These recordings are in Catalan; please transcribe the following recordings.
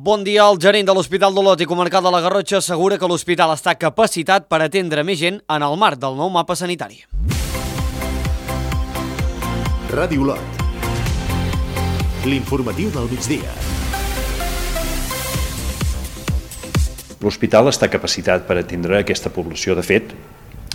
Bon dia. El gerent de l'Hospital d'Olot i Comarcal de la Garrotxa assegura que l'hospital està capacitat per atendre més gent en el marc del nou mapa sanitari. Ràdio Olot. L'informatiu del migdia. L'hospital està capacitat per atendre aquesta població. De fet,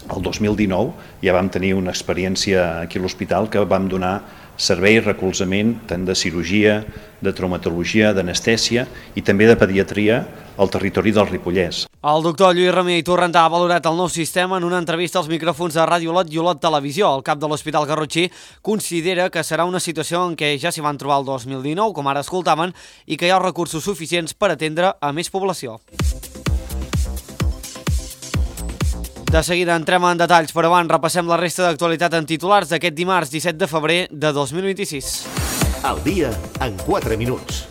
el 2019 ja vam tenir una experiència aquí a l'hospital que vam donar servei i recolzament tant de cirurgia, de traumatologia, d'anestèsia i també de pediatria al territori del Ripollès. El doctor Lluís Ramier i Torrentà ha valorat el nou sistema en una entrevista als micròfons de Ràdio Olot i Olot Televisió. El cap de l'Hospital Garrotxí considera que serà una situació en què ja s'hi van trobar el 2019, com ara escoltaven, i que hi ha recursos suficients per atendre a més població. De seguida entrem en detalls, però abans repassem la resta d'actualitat en titulars d'aquest dimarts 17 de febrer de 2026. Al dia en 4 minuts.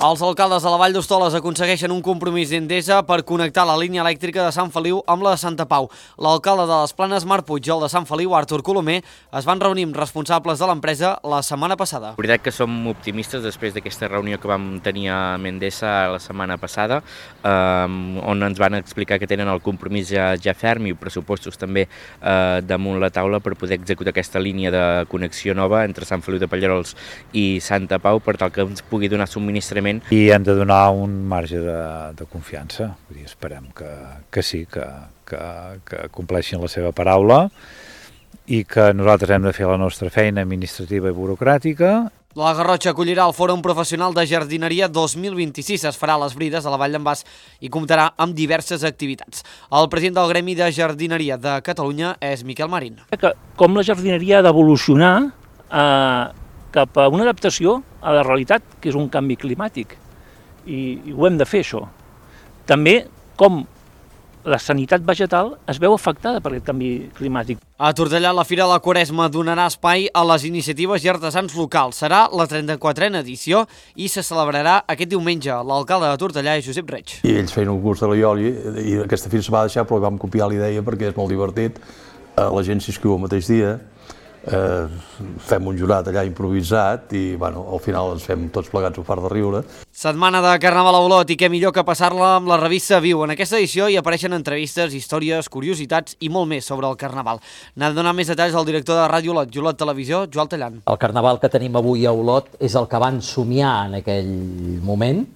Els alcaldes de la Vall d'Hostoles aconsegueixen un compromís d'Endesa per connectar la línia elèctrica de Sant Feliu amb la de Santa Pau. L'alcalde de les Planes, Marc Puig, i el de Sant Feliu, Artur Colomer, es van reunir amb responsables de l'empresa la setmana passada. La veritat que som optimistes després d'aquesta reunió que vam tenir a Endesa la setmana passada, on ens van explicar que tenen el compromís ja ferm i pressupostos també damunt la taula per poder executar aquesta línia de connexió nova entre Sant Feliu de Pallerols i Santa Pau per tal que ens pugui donar subministrament. I hem de donar un marge de confiança. Vull dir, esperem que sí, que compleixin la seva paraula i que nosaltres hem de fer la nostra feina administrativa i burocràtica. La Garrotxa acollirà el Fòrum Professional de Jardineria 2026. Es farà a les Brides, a la Vall d'en Bas, i comptarà amb diverses activitats. El president del Gremi de Jardineria de Catalunya és Miquel Marín. Com la jardineria ha d'evolucionar cap a una adaptació a la realitat, que és un canvi climàtic, i ho hem de fer, això. També com la sanitat vegetal es veu afectada per aquest canvi climàtic. A Tortellà, la Fira de la Quaresma donarà espai a les iniciatives i artesans locals. Serà la 34a edició i se celebrarà aquest diumenge. L'alcalde de Tortellà és Josep Reig. I ells feien un curs de l'Aioli i aquesta fira se va deixar, però vam copiar la idea perquè és molt divertit. La gent s'inscriu el mateix dia, fem un jurat allà improvisat i al final ens fem tots plegats un fart de riure. Setmana de Carnaval a Olot, i què millor que passar-la amb la revista Viu. En aquesta edició hi apareixen entrevistes, històries, curiositats i molt més sobre el Carnaval. N'ha de donar més detalls al director de Ràdio Olot i Olot Televisió, Joan Tallant. El Carnaval que tenim avui a Olot és el que van somiar en aquell moment,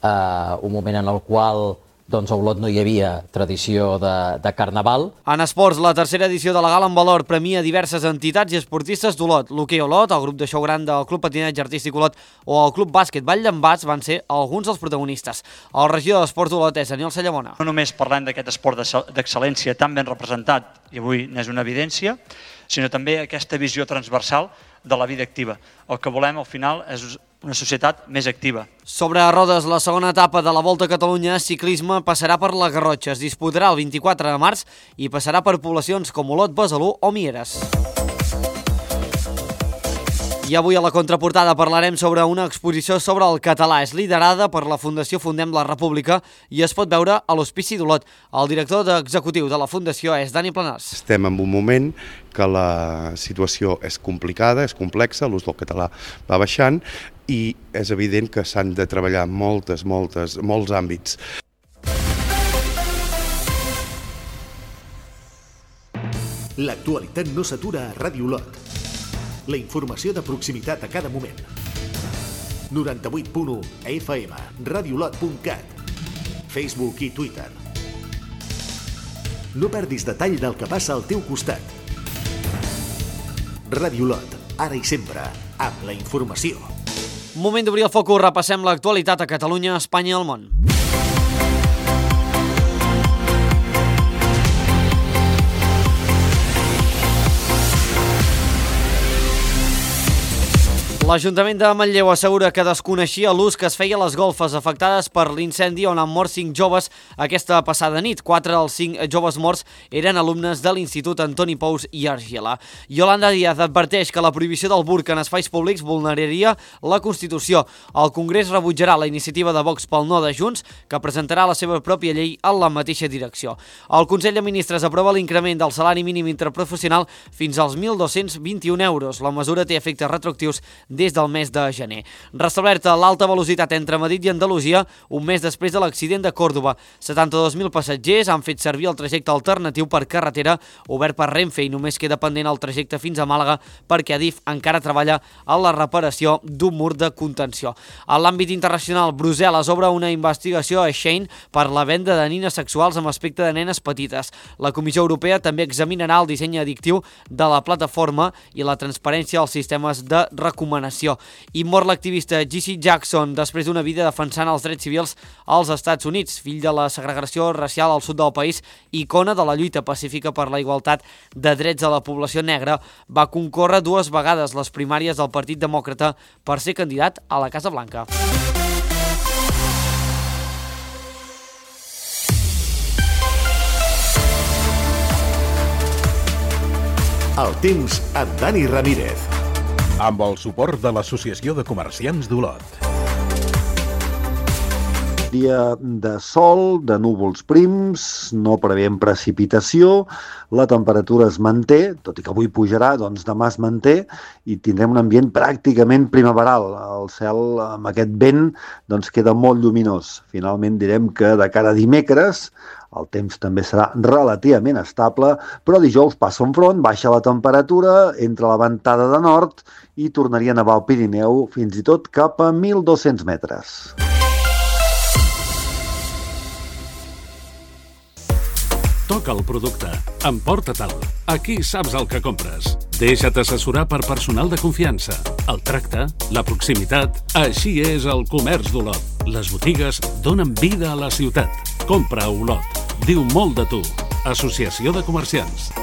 un moment en el qual a Olot no hi havia tradició de Carnaval. En esports, la tercera edició de la Gala en Valor premia diverses entitats i esportistes d'Olot. L'Hoquei Olot, el grup de xou gran del Club Patinatge Artístic Olot o el Club Bàsquet Vall d'en Bas van ser alguns dels protagonistes. El regidor d'Esports d'Olot és Daniel Sallamona. No només parlem d'aquest esport d'excel·lència tan ben representat, i avui n'és una evidència, sinó també aquesta visió transversal de la vida activa. El que volem al final és una societat més activa. Sobre rodes, la segona etapa de la Volta a Catalunya, ciclisme passarà per la Garrotxa. Es disputarà el 24 de març i passarà per poblacions com Olot, Besalú o Mieres. I avui a la contraportada parlarem sobre una exposició sobre el català. És liderada per la Fundació Fundem la República i es pot veure a l'Hospici d'Olot. El director executiu de la Fundació és Dani Planàs. Estem en un moment que la situació és complicada, és complexa, l'ús del català va baixant i és evident que s'han de treballar molts àmbits. L'actualitat no s'atura a Ràdio Olot. La informació de proximitat a cada moment. 98.1 FM, radiolot.cat, Facebook i Twitter. No perdis detall del que passa al teu costat. Ràdio Olot, ara i sempre, amb la informació. Moment d'obrir el focus, repassem l'actualitat a Catalunya, Espanya i el món. L'Ajuntament de Manlleu assegura que desconeixia l'ús que es feia a les golfes afectades per l'incendi on han mort 5 joves aquesta passada nit. 4 dels 5 joves morts eren alumnes de l'Institut Antoni Pous i Argila. Yolanda Díaz adverteix que la prohibició del burca en espais públics vulneraria la Constitució. El Congrés rebutjarà la iniciativa de Vox pel no de Junts, que presentarà la seva pròpia llei en la mateixa direcció. El Consell de Ministres aprova l'increment del salari mínim interprofessional fins als 1.221 euros. La mesura té efectes retroactius des del mes de gener. Restablerta l'alta velocitat entre Madrid i Andalusia un mes després de l'accident de Còrdova. 72.000 passatgers han fet servir el trajecte alternatiu per carretera obert per Renfe i només queda pendent el trajecte fins a Màlaga perquè Adif encara treballa en la reparació d'un mur de contenció. En l'àmbit internacional, Brussel·les obre una investigació a Shein per la venda de nines sexuals amb aspecte de nenes petites. La Comissió Europea també examinarà el disseny addictiu de la plataforma i la transparència als sistemes de recomanació. I mor l'activista Jesse Jackson després d'una vida defensant els drets civils als Estats Units. Fill de la segregació racial al sud del país, icona de la lluita pacífica per la igualtat de drets de la població negra, va concórrer 2 vegades les primàries del Partit Demòcrata per ser candidat a la Casa Blanca. El temps amb Dani Ramírez. Amb el suport de l'Associació de Comerciants d'Olot. Dia de sol, de núvols prims, no preveiem precipitació, la temperatura es manté, tot i que avui pujarà, doncs demà es manté i tindrem un ambient pràcticament primaveral. El cel amb aquest vent doncs queda molt lluminós. Finalment direm que de cara a dimecres el temps també serà relativament estable, però dijous passa un front, baixa la temperatura, entra la ventada de nord i tornaria a nevar al Pirineu fins i tot cap a 1.200 metres. Toca el producte, emporta-te'l. Aquí saps el que compres. Deixa't assessorar per personal de confiança. El tracte, la proximitat, així és el comerç d'Olot. Les botigues donen vida a la ciutat. Compra a Olot. Diu molt de tu. Associació de Comerciants.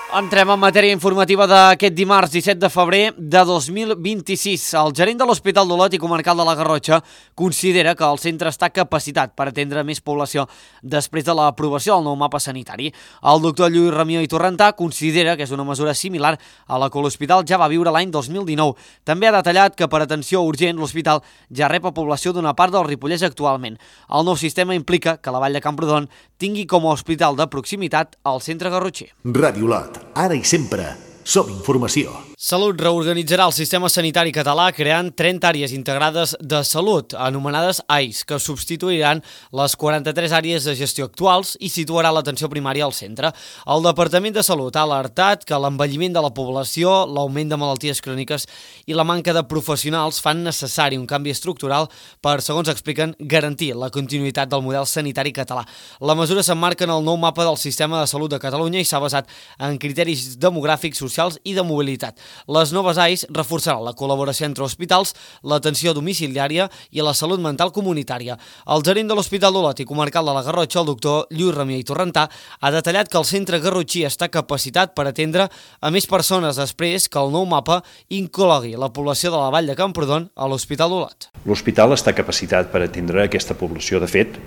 Entrem en matèria informativa d'aquest dimarts 17 de febrer de 2026. El gerent de l'Hospital d'Olot i Comarcal de la Garrotxa considera que el centre està capacitat per atendre més població després de l'aprovació del nou mapa sanitari. El doctor Lluís Ramió i Torrentà considera que és una mesura similar a la que l'hospital ja va viure l'any 2019. També ha detallat que per atenció urgent l'hospital ja rep a població d'una part del Ripollès actualment. El nou sistema implica que la Vall de Camprodon tingui com a hospital de proximitat el centre garrotxer. Ràdio Olot. Ara i sempre, som informació. Salut reorganitzarà el sistema sanitari català creant 30 àrees integrades de salut, anomenades AIS, que substituiran les 43 àrees de gestió actuals i situarà l'atenció primària al centre. El Departament de Salut ha alertat que l'envelliment de la població, l'augment de malalties cròniques i la manca de professionals fan necessari un canvi estructural per, segons expliquen, garantir la continuïtat del model sanitari català. La mesura s'emmarca en el nou mapa del sistema de salut de Catalunya i s'ha basat en criteris demogràfics, socials i de mobilitat. Les noves AIS reforçaran la col·laboració entre hospitals, l'atenció domiciliària i la salut mental comunitària. El gerent de l'Hospital d'Olot i Comarcal de la Garrotxa, el doctor Lluís Ramió i Torrentà, ha detallat que el centre garrotxí està capacitat per atendre a més persones després que el nou mapa inclogui la població de la Vall de Camprodon a l'Hospital d'Olot. L'hospital està capacitat per atendre aquesta població. De fet,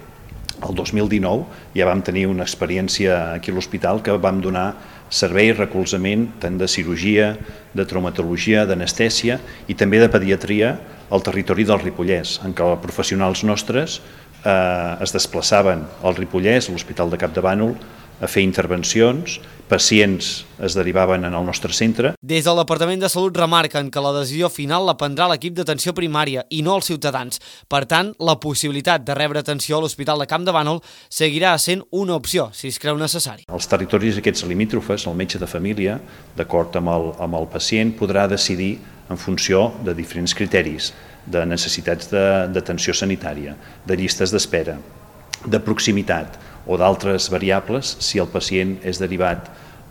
el 2019 ja vam tenir una experiència aquí a l'hospital que vam donar servei i recolzament tant de cirurgia, de traumatologia, d'anestèsia i també de pediatria al territori del Ripollès, en què professionals nostres es desplaçaven al Ripollès, a l'Hospital de Campdevànol, a fer intervencions, pacients es derivaven en el nostre centre. Des del Departament de Salut remarquen que la decisió final la prendrà l'equip d'atenció primària i no els ciutadans. Per tant, la possibilitat de rebre atenció a l'Hospital de Campdevànol seguirà sent una opció, si es creu necessari. Els territoris aquests limítrofes, el metge de família, d'acord amb el pacient, podrà decidir en funció de diferents criteris, de necessitats d'atenció sanitària, de llistes d'espera, de proximitat o d'altres variables si el pacient és derivat,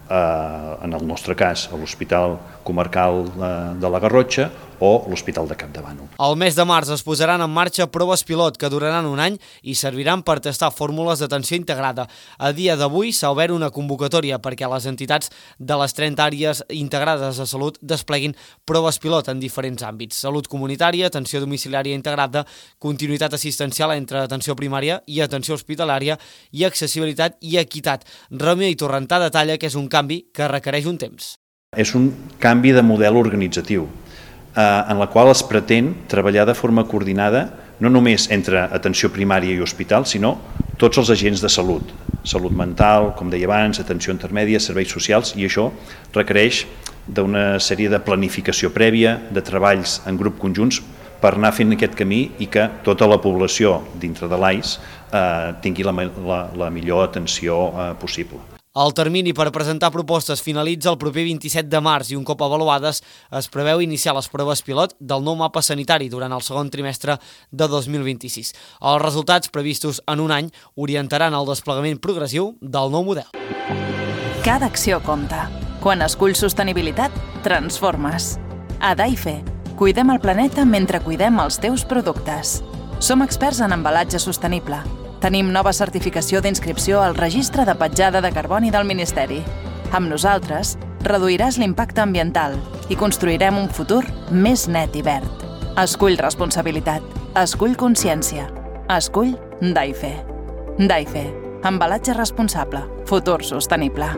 en el nostre cas, a l'Hospital Comarcal de la Garrotxa o l'Hospital de Campdevànol. El mes de març es posaran en marxa proves pilot que duraran un any i serviran per testar fórmules d'atenció integrada. A dia d'avui s'ha obert una convocatòria perquè les entitats de les 30 àrees integrades de salut despleguin proves pilot en diferents àmbits: salut comunitària, atenció domiciliària integrada, continuïtat assistencial entre atenció primària i atenció hospitalària i accessibilitat i equitat. Ràmia i Torrentà detalla que és un canvi que requereix un temps. És un canvi de model organitzatiu en la qual es pretén treballar de forma coordinada no només entre atenció primària i hospital, sinó tots els agents de salut, salut mental, com deia abans, atenció intermèdia, serveis socials, i això requereix d'una sèrie de planificació prèvia, de treballs en grup conjunts per anar fent aquest camí i que tota la població dintre de l'AIS tingui la millor atenció possible. El termini per presentar propostes finalitza el proper 27 de març i un cop avaluades es preveu iniciar les proves pilot del nou mapa sanitari durant el segon trimestre de 2026. Els resultats previstos en un any orientaran el desplegament progressiu del nou model. Cada acció compta. Quan esculls sostenibilitat, transformes. A Daife, cuidem el planeta mentre cuidem els teus productes. Som experts en embalatge sostenible. Tenim nova certificació d'inscripció al Registre de Petjada de Carboni del Ministeri. Amb nosaltres, reduiràs l'impacte ambiental i construirem un futur més net i verd. Escull responsabilitat. Escull consciència. Escull Daife. Daife. Embalatge responsable. Futur sostenible.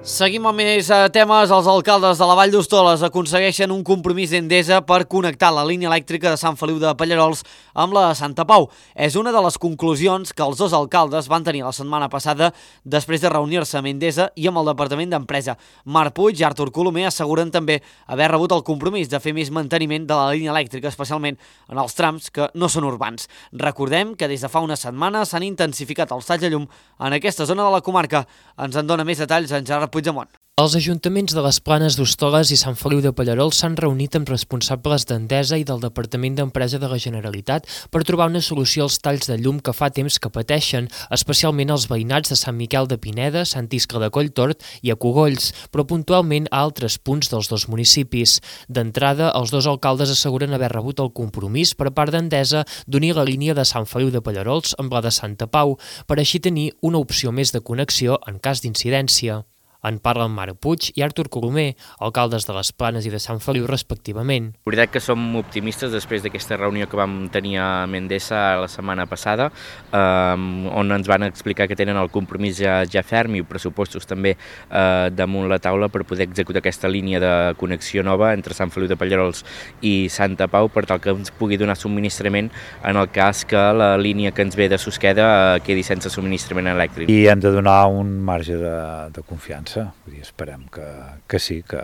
Seguim amb més temes. Els alcaldes de la Vall d'Hostoles aconsegueixen un compromís d'Endesa per connectar la línia elèctrica de Sant Feliu de Pallerols amb la de Santa Pau. És una de les conclusions que els dos alcaldes van tenir la setmana passada després de reunir-se amb Endesa i amb el Departament d'Empresa. Marc Puig i Artur Colomer asseguren també haver rebut el compromís de fer més manteniment de la línia elèctrica, especialment en els trams que no són urbans. Recordem que des de fa una setmana s'han intensificat els talls de llum en aquesta zona de la comarca. Ens en dona més detalls en Gerard Puigdemont. Els ajuntaments de les Planes d'Hostoles i Sant Feliu de Pallerols s'han reunit amb responsables d'Endesa i del Departament d'Empresa de la Generalitat per trobar una solució als talls de llum que fa temps que pateixen, especialment els veïnats de Sant Miquel de Pineda, Sant Iscle de Colltort i a Cogolls, però puntualment a altres punts dels dos municipis. D'entrada, els dos alcaldes asseguren haver rebut el compromís per part d'Endesa d'unir la línia de Sant Feliu de Pallerols amb la de Santa Pau, per així tenir una opció més de connexió en cas d'incidència. En parlen Marc Puig i Artur Colomer, alcaldes de les Planes i de Sant Feliu respectivament. La veritat que som optimistes després d'aquesta reunió que vam tenir a Endesa la setmana passada, on ens van explicar que tenen el compromís ja ferm i pressupostos també damunt la taula per poder executar aquesta línia de connexió nova entre Sant Feliu de Pallerols i Santa Pau per tal que ens pugui donar subministrament en el cas que la línia que ens ve de Susqueda quedi sense subministrament elèctric. I hem de donar un marge de confiança. Vull dir, esperem que sí, que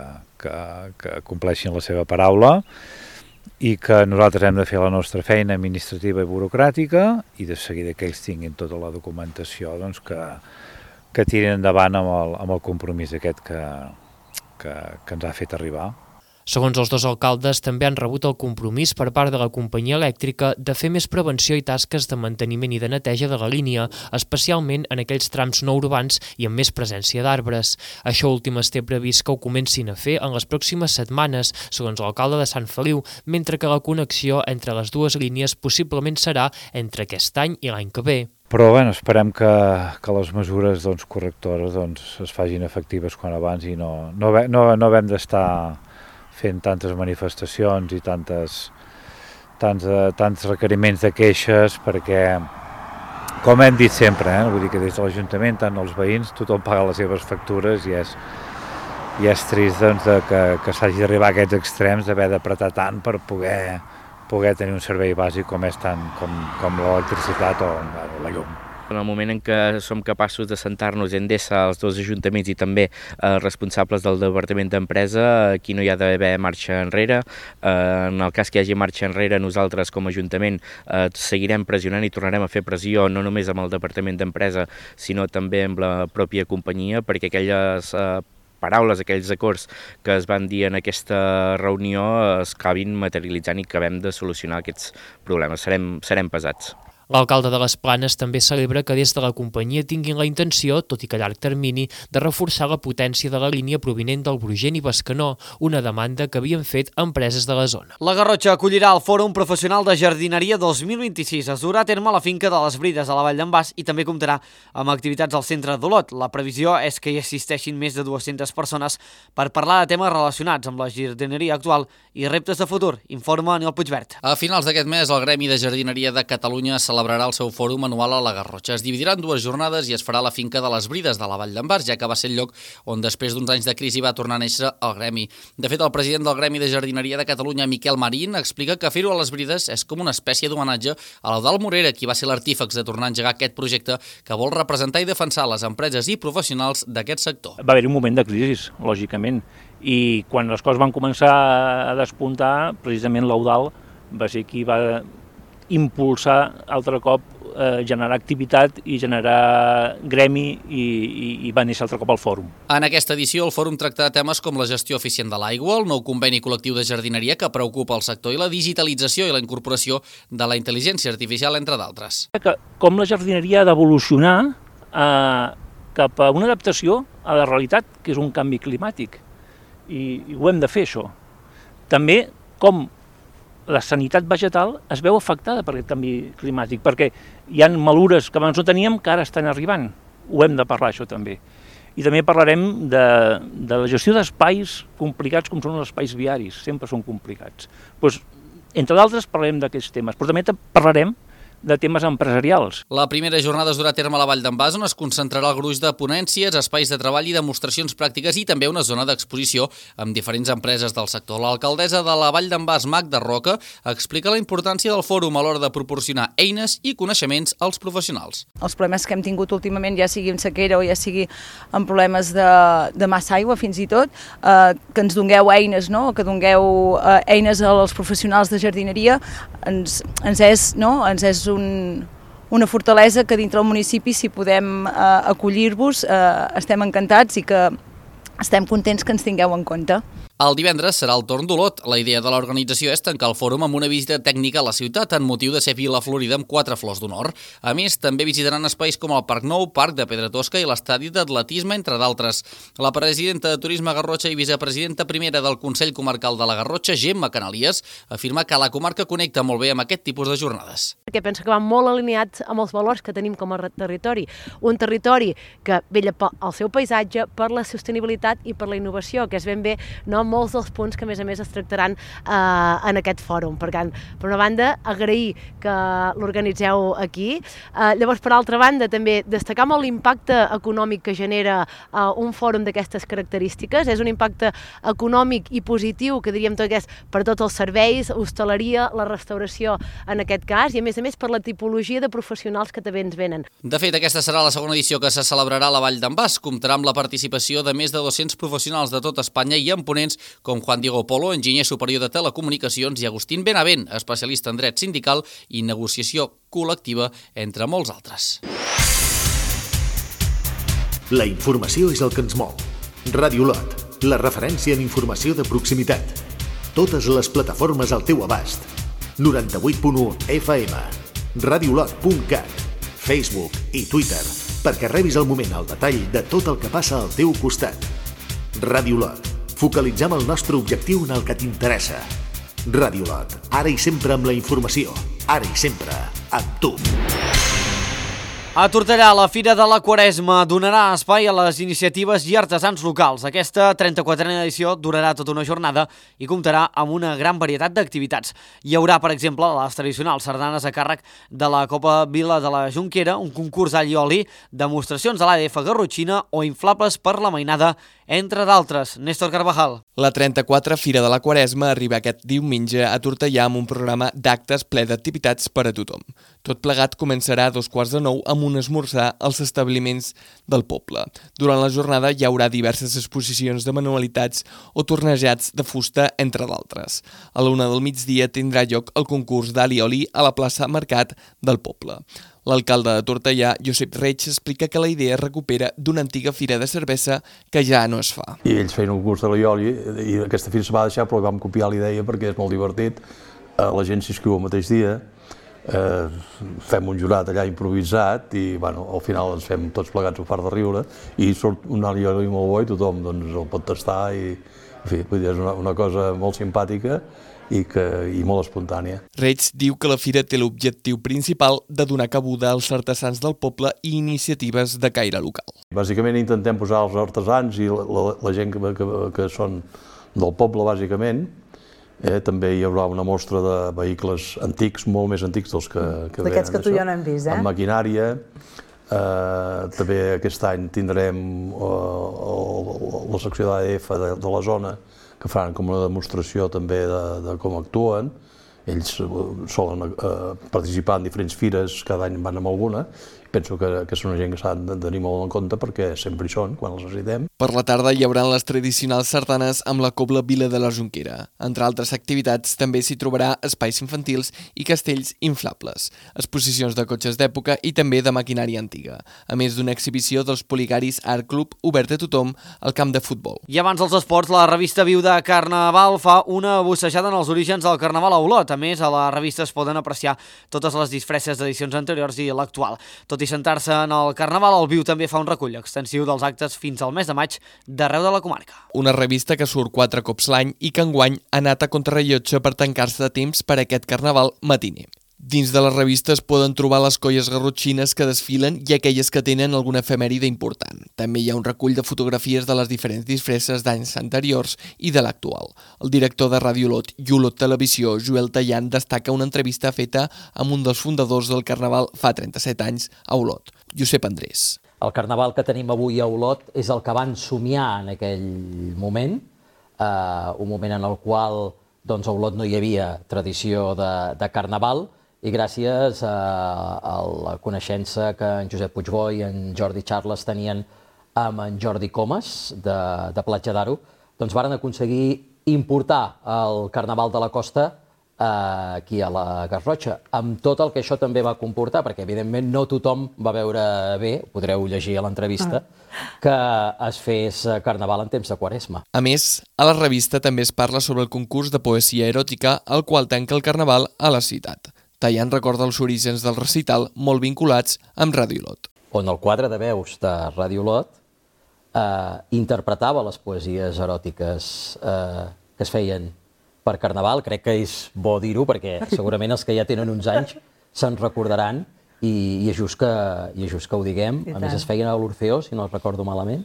compleixin la seva paraula i que nosaltres hem de fer la nostra feina administrativa i burocràtica i de seguida que ells tinguin tota la documentació doncs, que tirin endavant amb el compromís aquest que ens ha fet arribar. Segons els dos alcaldes, també han rebut el compromís per part de la companyia elèctrica de fer més prevenció i tasques de manteniment i de neteja de la línia, especialment en aquells trams no urbans i amb més presència d'arbres. Això últim es té previst que ho comencin a fer en les pròximes setmanes, segons l'alcalde de Sant Feliu, mentre que la connexió entre les dues línies possiblement serà entre aquest any i l'any que ve. Però bueno, esperem que les mesures correctores es facin efectives quan abans i no haguem d'estar fent tantes manifestacions i tants requeriments de queixes, perquè, com hem dit sempre, vull dir que des de l'Ajuntament, tant els veïns, tothom paga les seves factures i és trist que s'hagi d'arribar a aquests extrems d'haver d'apretar tant per poder tenir un servei bàsic com l'electricitat o la llum. En el moment en què som capaços de sentar-nos Endesa, els dos ajuntaments i també responsables del Departament d'Empresa, aquí no hi ha d'haver marxa enrere. En el cas que hi hagi marxa enrere, nosaltres com a Ajuntament seguirem pressionant i tornarem a fer pressió no només amb el Departament d'Empresa, sinó també amb la pròpia companyia, perquè aquelles paraules, aquells acords que es van dir en aquesta reunió es acabin materialitzant i acabem de solucionar aquests problemes. Serem pesats. L'alcalde de les Planes també celebra que des de la companyia tinguin la intenció, tot i que a llarg termini, de reforçar la potència de la línia provinent del Brugent i Bescanó, una demanda que havien fet empreses de la zona. La Garrotxa acollirà el Fòrum Professional de Jardineria 2026. Es durà a terme a la finca de les Brides, a la Vall d'en Bas, i també comptarà amb activitats al centre d'Olot. La previsió és que hi assisteixin més de 200 persones per parlar de temes relacionats amb la jardineria actual i reptes de futur, informa Aniol Puigvert. A finals d'aquest mes, el Gremi de Jardineria de Catalunya celebrarà el seu fòrum anual a la Garrotxa. Es dividirà en 2 jornades i es farà a la finca de les Brides de la Vall d'en Bas, ja que va ser el lloc on després d'uns anys de crisi va tornar a néixer el Gremi. De fet, el president del Gremi de Jardineria de Catalunya, Miquel Marín, explica que fer-ho a les Brides és com una espècie d'homenatge a l'Eudald Morera, qui va ser l'artífex de tornar a engegar aquest projecte que vol representar i defensar les empreses i professionals d'aquest sector. Va haver-hi un moment de crisi, lògicament, i quan les coses van començar a despuntar, precisament l'Eudald va ser qui va impulsar altre cop generar activitat i generar gremi i va néixer altre cop al fòrum. En aquesta edició el fòrum tractarà temes com la gestió eficient de l'aigua, el nou conveni col·lectiu de jardineria que preocupa el sector i la digitalització i la incorporació de la intel·ligència artificial, entre d'altres. Com la jardineria ha d'evolucionar cap a una adaptació a la realitat, que és un canvi climàtic, i ho hem de fer, això. També com la sanitat vegetal es veu afectada per aquest canvi climàtic, perquè hi ha malures que abans no teníem que ara estan arribant. Ho hem de parlar, això també. I també parlarem de la gestió d'espais complicats com són els espais viaris, sempre són complicats. Doncs, entre d'altres, parlarem d'aquests temes, però també parlarem de temes empresarials. La primera jornada es durà a terme a la Vall d'en Bas, on es concentrarà el gruix de ponències, espais de treball i demostracions pràctiques i també una zona d'exposició amb diferents empreses del sector. L'alcaldessa de la Vall d'en Bas, Magda Roca, explica la importància del fòrum a l'hora de proporcionar eines i coneixements als professionals. Els problemes que hem tingut últimament, ja sigui en sequera o ja sigui en problemes de massa aigua, fins i tot, que ens dongueu eines, no? Que dongueu eines als professionals de jardineria, ens és una fortalesa que dintre del municipi, si podem acollir-vos, estem encantats i que estem contents que ens tingueu en compte. El divendres serà el torn d'Olot. La idea de l'organització és tancar el fòrum amb una visita tècnica a la ciutat en motiu de ser Vila Florida amb 4 flors d'honor. A més, també visitaran espais com el Parc Nou, Parc de Pedra Tosca i l'estadi d'atletisme, entre d'altres. La presidenta de Turisme Garrotxa i vicepresidenta primera del Consell Comarcal de la Garrotxa, Gemma Canalies, afirma que la comarca connecta molt bé amb aquest tipus de jornades. Perquè penso que va molt alineats amb els valors que tenim com a territori. Un territori que vetlla pel seu paisatge, per la sostenibilitat i per la innovació, que és ben bé molts dels punts que a més es tractaran en aquest fòrum. Per tant, per una banda, agrair que l'organitzeu aquí. Llavors, per altra banda, també destacar molt l'impacte econòmic que genera un fòrum d'aquestes característiques. És un impacte econòmic i positiu, que diríem tot, que és per tots els serveis, hostaleria, la restauració en aquest cas, i a més per la tipologia de professionals que també ens venen. De fet, aquesta serà la segona edició que se celebrarà a la Vall d'en Bas. Comptarà amb la participació de més de 200 professionals de tot Espanya i amb ponents com Juan Diego Polo, enginyer superior de telecomunicacions, i Agustín Benavent, especialista en dret sindical i negociació col·lectiva, entre molts altres. La informació és el que ens mou. Ràdio Olot, la referència en informació de proximitat. Totes les plataformes al teu abast. 98.1 FM, radioolot.cat, Facebook i Twitter, perquè rebis al moment el detall de tot el que passa al teu costat. Ràdio Olot, focalitzem el nostre objectiu en el que t'interessa. Ràdio Olot, ara i sempre amb la informació, ara i sempre amb tu. A Tortellà, la Fira de la Quaresma donarà espai a les iniciatives i artesans locals. Aquesta 34a edició durarà tota una jornada i comptarà amb una gran varietat d'activitats. Hi haurà, per exemple, les tradicionals sardanes a càrrec de la Copa Vila de la Jonquera, un concurs all i oli, demostracions de l'ADF garrotxina o inflables per la mainada, entre d'altres. Néstor Carvajal. La 34a Fira de la Quaresma arriba aquest diumenge a Tortellà amb un programa d'actes ple d'activitats per a tothom. Tot plegat començarà a 8:45 amb un esmorzar als establiments del poble. Durant la jornada hi haurà diverses exposicions de manualitats o tornejats de fusta, entre d'altres. A la 1 del migdia tindrà lloc el concurs d'all i oli a la plaça Mercat del poble. L'alcalde de Tortellà, Josep Reig, explica que la idea recupera d'una antiga fira de cervesa que ja no es fa. I ells feien un concurs de l'all i oli i aquesta fira se va deixar, però vam copiar la idea perquè és molt divertit. La gent s'inscriu el mateix dia fem un jurat allà improvisat i al final ens fem tots plegats un fart de riure i surt un alioli molt bo i tothom el pot tastar i en fi, és una cosa molt simpàtica i molt espontània. Reig diu que la fira té l'objectiu principal de donar cabuda als artesans del poble i iniciatives de caire local. Bàsicament intentem posar els artesans i la gent que són del poble, bàsicament. També hi haurà una mostra de vehicles antics, molt més antics dels que venen. D'aquests que tu i jo no hem vist, amb maquinària. També aquest any tindrem la secció d'AEF de la zona, que faran com una demostració també de com actuen. Ells solen participar en diferents fires, cada any van amb alguna. Penso que són una gent que s'han de tenir molt en compte perquè sempre hi són, quan els necessitem. Per la tarda hi haurà les tradicionals sardanes amb la cobla Vila de la Jonquera. Entre altres activitats, també s'hi trobarà espais infantils i castells inflables, exposicions de cotxes d'època i també de maquinària antiga, a més d'una exhibició dels Poligaris Art Club obert a tothom al camp de futbol. I abans dels esports, la revista Viu de Carnaval fa una bussejada en els orígens del Carnaval a Olot. A més, a la revista es poden apreciar totes les disfresses d'edicions anteriors i l'actual. Tot i sentar-se en el Carnaval, el Viu també fa un recull extensiu dels actes fins al mes de maig d'arreu de la comarca. Una revista que surt 4 cops l'any i que enguany ha anat a contrarrellotge per tancar-se de temps per aquest Carnaval matiner. Dins de la revista es poden trobar les colles garrotxines que desfilen i aquelles que tenen alguna efemèride important. També hi ha un recull de fotografies de les diferents disfresses d'anys anteriors i de l'actual. El director de Ràdio Olot i Olot Televisió, Joel Tallant, destaca una entrevista feta amb un dels fundadors del Carnaval fa 37 anys a Olot, Josep Andrés. El Carnaval que tenim avui a Olot és el que van somiar en aquell moment, un moment en el qual a Olot no hi havia tradició de Carnaval, i gràcies a la coneixença que en Josep Puigbó i en Jordi Charles tenien amb en Jordi Comas, de Platja d'Aro, doncs varen aconseguir importar el Carnaval de la Costa aquí a la Garrotxa, amb tot el que això també va comportar, perquè evidentment no tothom va veure bé, podreu llegir a l'entrevista, que es fes Carnaval en temps de Quaresma. A més, a la revista també es parla sobre el concurs de poesia eròtica, el qual tanca el Carnaval a la ciutat. Tallant recorda els orígens del recital molt vinculats amb Ràdio Olot. On el quadre de veus de Ràdio Olot interpretava les poesies eròtiques que es feien per Carnaval. Crec que és bo dir-ho perquè segurament els que ja tenen uns anys se'n recordaran i és just que ho diguem. A més es feien a l'Orfeó, si no el recordo malament,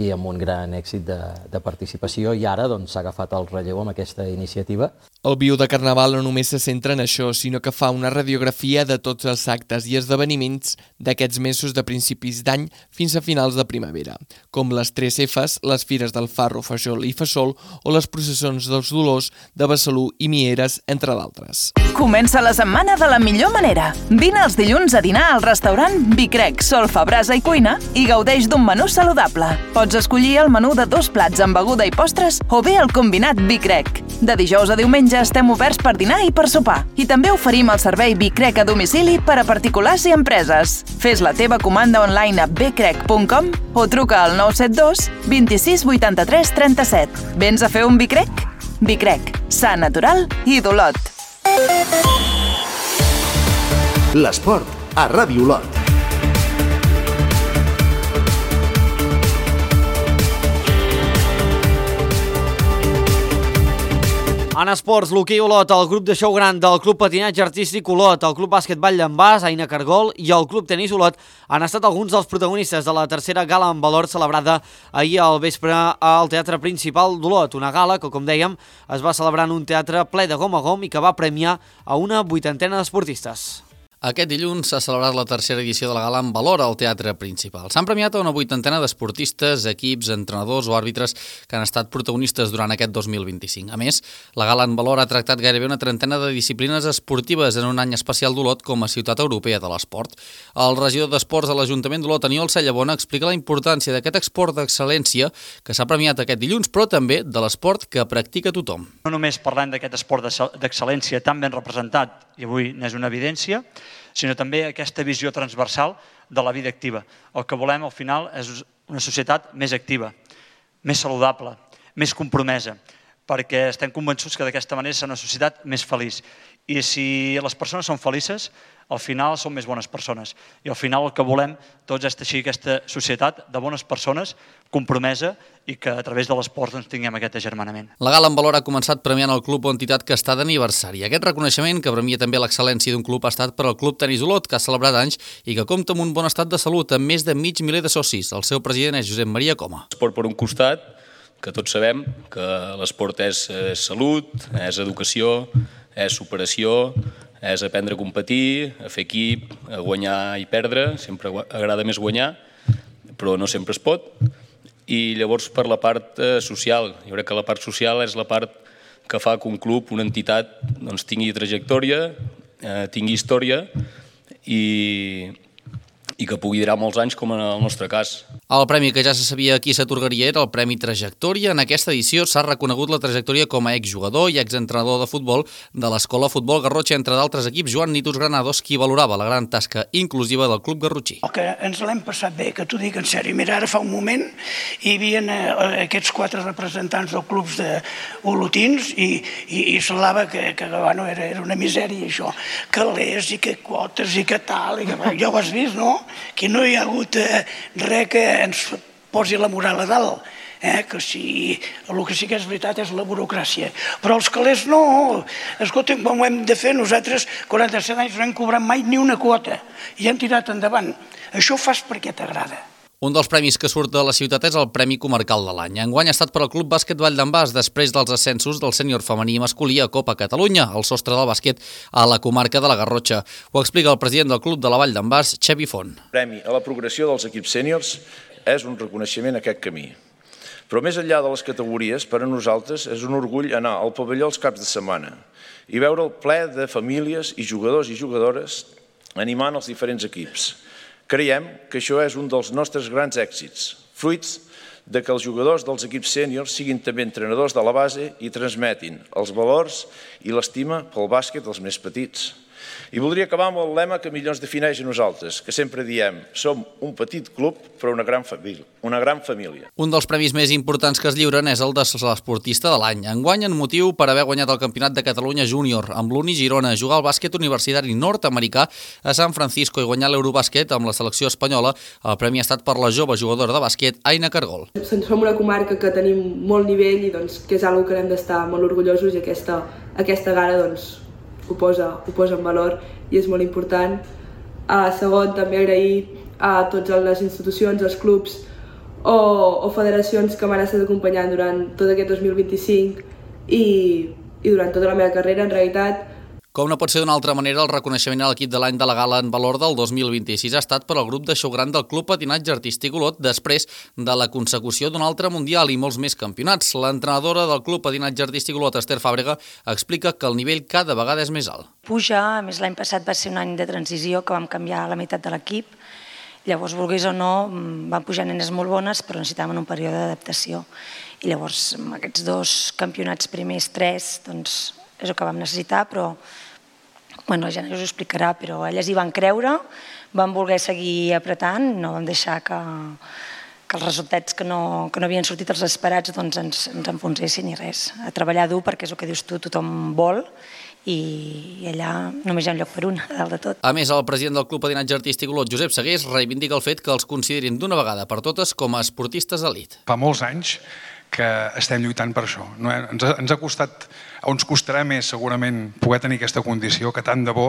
i amb un gran èxit de participació, i ara s'ha agafat el relleu amb aquesta iniciativa. El Viu de Carnaval no només se centra en això, sinó que fa una radiografia de tots els actes i esdeveniments d'aquests mesos de principis d'any fins a finals de primavera, com les 3 Fs, les fires del Farro, Fajol i Fassol, o les processons dels Dolors de Besalú i Mieres, entre d'altres. Comença la setmana de la millor manera. Vine els dilluns a dinar al restaurant Bicrec, Solfa, Brasa i Cuina i gaudeix d'un menú saludable. Pots escollir el menú de 2 plats amb beguda i postres o bé el combinat Bicrec. De dijous a diumenge estem oberts per dinar i per sopar. I també oferim el servei Bicrec a domicili per a particulars i empreses. Fes la teva comanda online a bcrec.com o truca al 972 26 83 37. Vens a fer un Bicrec? Bicrec, sa, natural i d'Olot. L'esport a Ràdio Olot. En esports, l'hoquei Olot, el grup de xou gran del Club Patinatge Artístic Olot, el Club Bàsquet Vall d'en Bas, Aina Cargol i el Club Tenis Olot han estat alguns dels protagonistes de la tercera gala en valor celebrada ahir al vespre al Teatre Principal d'Olot. Una gala que, com dèiem, es va celebrar en un teatre ple de gom a gom i que va premiar a una 80ena d'esportistes. Aquest dilluns s'ha celebrat la tercera edició de la gala en valor al Teatre Principal. S'han premiat a una 80ena d'esportistes, equips, entrenadors o àrbitres que han estat protagonistes durant aquest 2025. A més, la gala en valor ha tractat gairebé una 30ena de disciplines esportives en un any especial d'Olot com a ciutat europea de l'esport. El regidor d'Esports de l'Ajuntament d'Olot, Aniol Sallabona, explica la importància d'aquest esport d'excel·lència que s'ha premiat aquest dilluns, però també de l'esport que practica tothom. No només parlem d'aquest esport d'excel·lència tan ben representat, i avui n'és una evidència, sinó també aquesta visió transversal de la vida activa. El que volem, al final, és una societat més activa, més saludable, més compromesa. perquè estem convençuts que d'aquesta manera serà una societat més feliç. I si les persones són felices, al final són més bones persones. I al final el que volem tots és teixir aquesta societat de bones persones, compromesa, i que a través de l'esport tinguem aquest agermanament. La gala en valor ha començat premiant el club o entitat que està d'aniversari. Aquest reconeixement, que premia també l'excel·lència d'un club, ha estat per al Club Tenis Olot, que ha celebrat anys i que compta amb un bon estat de salut, amb més de 500.000 de socis. El seu president és Josep Maria Coma. Esport per un costat, que tots sabem que l'esport és salut, és educació, és superació, és aprendre a competir, a fer equip, a guanyar i perdre. Sempre agrada més guanyar, però no sempre es pot. I llavors per la part social, jo crec que la part social és la part que fa que un club, una entitat, tingui trajectòria, tingui història i que pugui durar molts anys, com en el nostre cas. El premi que ja se sabia a qui s'atorgaria era el Premi Trajectòria. En aquesta edició s'ha reconegut la trajectòria com a exjugador i exentrenador de futbol de l'Escola Futbol Garrotxa, entre d'altres equips, Joan Nitus Granados, qui valorava la gran tasca inclusiva del club garrotxí. El que ens l'hem passat bé, que t'ho dic en sèrio. Mira, ara fa un moment hi havia aquests 4 representants dels clubs olotins i semblava que bueno, era una misèria això. Calés i que quotes i que tal, ja ho has vist, no? Que no hi ha hagut res que ens posi la moral a dalt, que si el que sí que és veritat és la burocràcia. Però els calés no. Escolta'm, com ho hem de fer? Nosaltres, 47 anys, no hem cobrat mai ni una quota i hem tirat endavant. Això ho fas perquè t'agrada. Un dels premis que surt de la ciutat és el Premi Comarcal de l'any. Enguany ha estat per al Club Bàsquet Vall d'en Bas, després dels ascensos del sènior femení i masculí a Copa Catalunya, el sostre del bàsquet a la comarca de la Garrotxa. Ho explica el president del Club de la Vall d'en Bas, Xavi Font. El premi a la progressió dels equips sèniors és un reconeixement a aquest camí. Però més enllà de les categories, per a nosaltres és un orgull anar al pavelló els caps de setmana i veure el ple de famílies i jugadors i jugadores animant els diferents equips. Creiem que això és un dels nostres grans èxits, fruits de que els jugadors dels equips sèniors siguin també entrenadors de la base i transmetin els valors i l'estima pel bàsquet dels més petits. I voldria acabar amb el lema que millor ens defineix a nosaltres, que sempre diem, som un petit club però una gran família. Un dels premis més importants que es lliuren és el de l'esportista de l'any. Enguany en motiu per haver guanyat el Campionat de Catalunya Júnior amb l'Uni Girona, jugar al bàsquet universitari nord-americà a San Francisco i guanyar l'Eurobàsquet amb la selecció espanyola. El premi ha estat per la jove jugadora de bàsquet, Aina Cargol. Som una comarca que tenim molt nivell i que és una que hem d'estar molt orgullosos i aquesta gala ho posa en valor i és molt important. Segon, també agrair a totes les institucions, els clubs o federacions que m'han estat acompanyant durant tot aquest 2025 i durant tota la meva carrera, en realitat. Com no pot ser d'una altra manera, el reconeixement a l'equip de l'any de la gala en valor del 2026 ha estat per al grup de xou gran del Club Patinatge Artístic Olot després de la consecució d'un altre mundial i molts més campionats. L'entrenadora del Club Patinatge Artístic Olot, Esther Fàbrega, explica que el nivell cada vegada és més alt. Puja, a més l'any passat va ser un any de transició que vam canviar la meitat de l'equip. Llavors, volgués o no, van pujar nenes molt bones, però necessitaven un període d'adaptació. I llavors, aquests 2 campionats primers, 3, doncs és el que vam necessitar, però la Jana us ho explicarà, però elles hi van creure, van voler seguir apretant, no vam deixar que els resultats que no havien sortit els esperats ens enfonsessin i res. A treballar dur perquè és el que dius tu, tothom vol i allà només hi ha un lloc per un, a dalt de tot. A més, el president del Club Patinatge Artístic Olot, Josep Segués, reivindica el fet que els considerin d'una vegada per totes com a esportistes d'elit. Fa molts anys que estem lluitant per això. Ens ha costat, o ens costarà més segurament poder tenir aquesta condició que tant de bo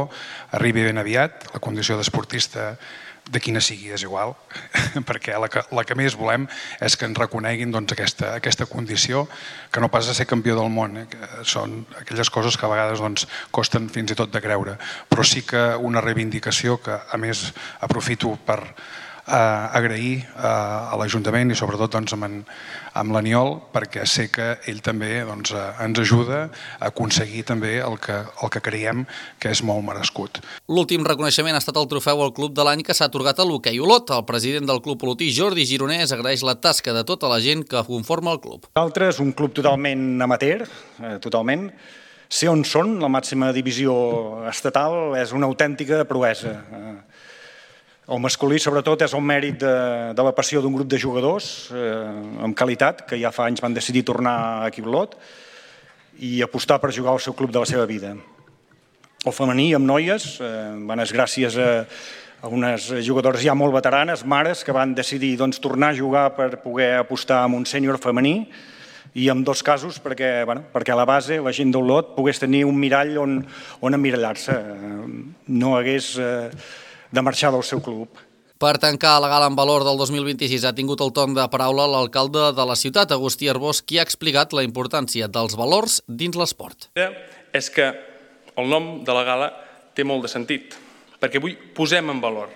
arribi ben aviat, la condició d'esportista de quina sigui, és igual, perquè la que més volem és que ens reconeguin aquesta condició, que no pas de ser campió del món, que són aquelles coses que a vegades costen fins i tot de creure, però sí que una reivindicació que a més aprofito per agrair a l'Ajuntament i sobretot amb l'Aniol, perquè sé que ell també ens ajuda a aconseguir també el que creiem que és molt merescut. L'últim reconeixement ha estat el trofeu al Club de l'any que s'ha atorgat a l'Hoquei Olot. El president del club olotí, Jordi Gironès, agraeix la tasca de tota la gent que conforma el club. Nosaltres, un club totalment amateur, totalment, ser on són, la màxima divisió estatal, és una autèntica proesa. El masculí, sobretot, és el mèrit de la passió d'un grup de jugadors amb qualitat, que ja fa anys van decidir tornar aquí a Olot, i apostar per jugar al seu club de la seva vida. El femení amb noies, és gràcies a unes jugadores ja molt veteranes, mares, que van decidir tornar a jugar per poder apostar en un sènior femení, i en dos casos perquè a la base la gent d'Olot pogués tenir un mirall on emmirallar-se, no hagués de marxar del seu club. Per tancar la gala en valor del 2026 ha tingut el torn de paraula l'alcalde de la ciutat, Agustí Arbós, qui ha explicat la importància dels valors dins l'esport. És que el nom de la gala té molt de sentit, perquè avui posem en valor,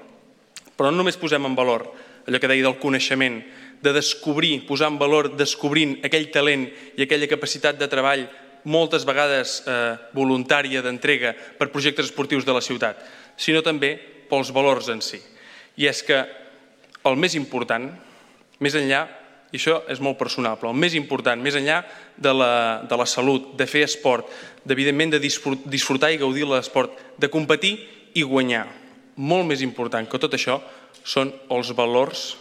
però no només posem en valor allò que deia del coneixement, de descobrir, posar en valor descobrint aquell talent i aquella capacitat de treball moltes vegades voluntària d'entrega per projectes esportius de la ciutat, sinó també pels valors en si. I és que el més important, més enllà, i això és molt personal, però el més important, més enllà de la salut, de fer esport, evidentment de disfrutar i gaudir de l'esport, de competir i guanyar, molt més important que tot això són els valors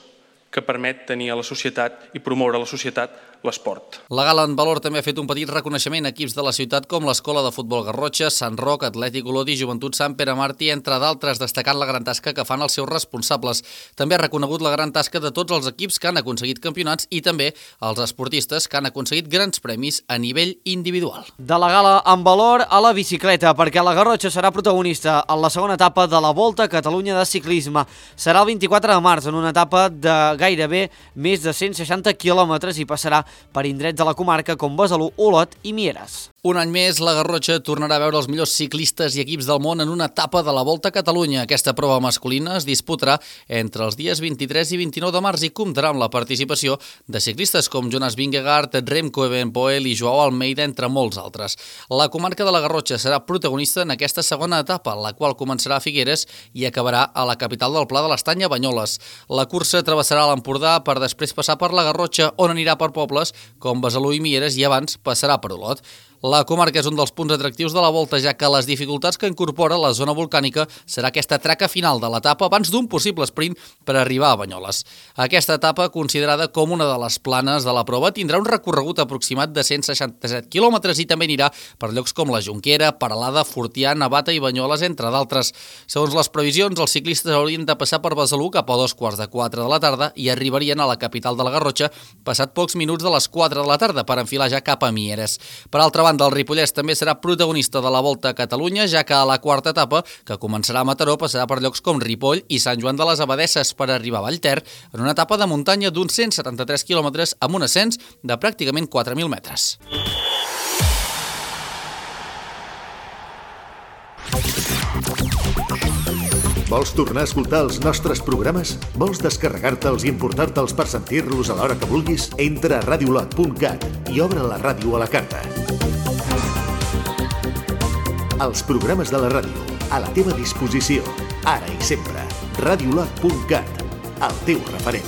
que permet tenir a la societat i promoure a la societat l'esport. La gala en valor també ha fet un petit reconeixement a equips de la ciutat com l'Escola de Futbol Garrotxa, Sant Roc, Atlètic Olot i Joventut Sant Pere Martí, entre d'altres, destacant la gran tasca que fan els seus responsables. També ha reconegut la gran tasca de tots els equips que han aconseguit campionats i també els esportistes que han aconseguit grans premis a nivell individual. De la gala en valor a la bicicleta, perquè la Garrotxa serà protagonista en la segona etapa de la Volta a Catalunya de ciclisme. Serà el 24 de març en una etapa de gairebé més de 160 quilòmetres i passarà per indrets de la comarca com Besalú, Olot i Mieres. Un any més, la Garrotxa tornarà a veure els millors ciclistes i equips del món en una etapa de la Volta a Catalunya. Aquesta prova masculina es disputarà entre els dies 23 i 29 de març i comptarà amb la participació de ciclistes com Jonas Vingegaard, Remco Evenepoel i Joao Almeida, entre molts altres. La comarca de la Garrotxa serà protagonista en aquesta segona etapa, la qual començarà a Figueres i acabarà a la capital del Pla de l'Estany, a Banyoles. La cursa travessarà l'Empordà per després passar per la Garrotxa, on anirà per pobles com Besalú i Mieres i abans passarà per Olot. La comarca és un dels punts atractius de la Volta, ja que les dificultats que incorpora la zona volcànica serà aquesta traca final de l'etapa abans d'un possible sprint per arribar a Banyoles. Aquesta etapa, considerada com una de les planes de la prova, tindrà un recorregut aproximat de 167 quilòmetres i també anirà per llocs com la Jonquera, Peralada, Fortià, Navata i Banyoles, entre d'altres. Segons les previsions, els ciclistes haurien de passar per Besalú cap a 3:15 de la tarda i arribarien a la capital de la Garrotxa passat pocs minuts de les 4 de la tarda per enfilar ja cap a Mieres. Per altra banda, el Ripollès també serà protagonista de la Volta a Catalunya, ja que a la quarta etapa, que començarà a Mataró, passarà per llocs com Ripoll i Sant Joan de les Abadesses per arribar a Vallter, en una etapa de muntanya d'uns 173 quilòmetres amb un ascens de pràcticament 4.000 metres. Vols tornar a escoltar els nostres programes? Vols descarregar-te'ls i emportar-te'ls per sentir-los a l'hora que vulguis? Entra a radiolot.cat i obre la ràdio a la carta. Els programes de la ràdio, a la teva disposició, ara i sempre. Radiolot.cat, el teu referent.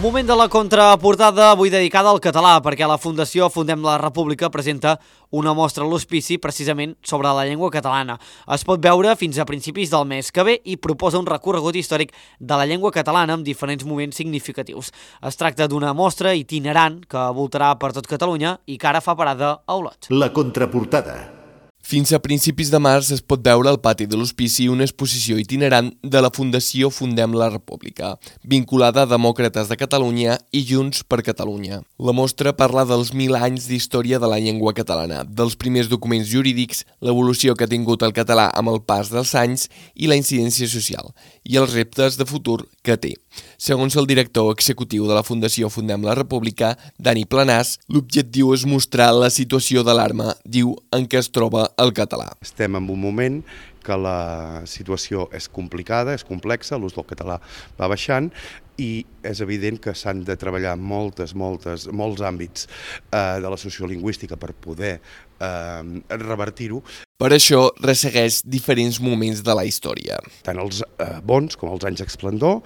Moment de la contraportada, avui dedicada al català, perquè la Fundació Fundem la República presenta una mostra a l'Hospici precisament sobre la llengua catalana. Es pot veure fins a principis del mes que ve i proposa un recorregut històric de la llengua catalana amb diferents moments significatius. Es tracta d'una mostra itinerant que voltarà per tot Catalunya i que ara fa parada a Olot. La contraportada. Fins a principis de març es pot veure al pati de l'Hospici una exposició itinerant de la Fundació Fundem la República, vinculada a Demòcrates de Catalunya i Junts per Catalunya. La mostra parla dels 1.000 anys d'història de la llengua catalana, dels primers documents jurídics, l'evolució que ha tingut el català amb el pas dels anys i la incidència social, i els reptes de futur que té. Segons el director executiu de la Fundació Fundem la República, Dani Planàs, l'objectiu és mostrar la situació d'alarma, diu, en què es troba el català. Estem en un moment que la situació és complicada, és complexa, l'ús del català va baixant i és evident que s'han de treballar molts àmbits de la sociolingüística per poder revertir-ho. Per això ressegueix diferents moments de la història. Tant els bons com els anys d'esplendor,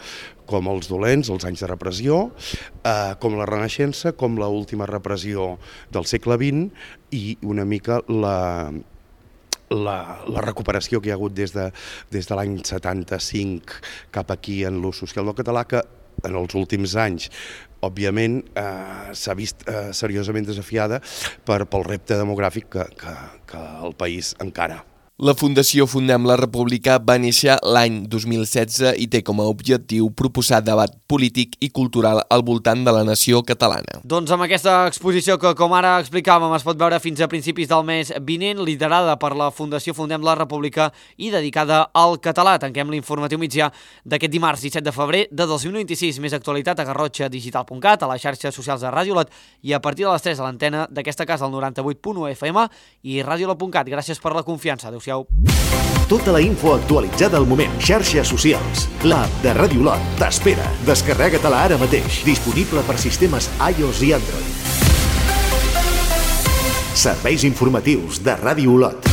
com els dolents, els anys de repressió, com la Renaixença, com l'última repressió del segle XX i una mica la recuperació que hi ha hagut des de l'any 75 cap aquí en l'ús social del català, que en els últims anys òbviament s'ha vist seriosament desafiada pel repte demogràfic que el país encara. La Fundació Fundem la República va néixer l'any 2016 i té com a objectiu proposar debat polític i cultural al voltant de la nació catalana. Doncs amb aquesta exposició que, com ara explicàvem, es pot veure fins a principis del mes vinent, liderada per la Fundació Fundem la República i dedicada al català. Tanquem l'informatiu migdia d'aquest dimarts 17 de febrer de 2026. Més actualitat a garrotxadigital.cat, a les xarxes socials de Ràdio Lot i a partir de les 3 a l'antena d'aquesta casa, al 98.1 FM i radiolot.cat. Gràcies per la confiança. Adéu-siau. Tota la info actualitzada al moment. Xarxes socials. L'app de Ràdio Lot t'espera. Descarrega-te-la ara mateix. Disponible per sistemes iOS i Android. Serveis informatius de Ràdio Lot.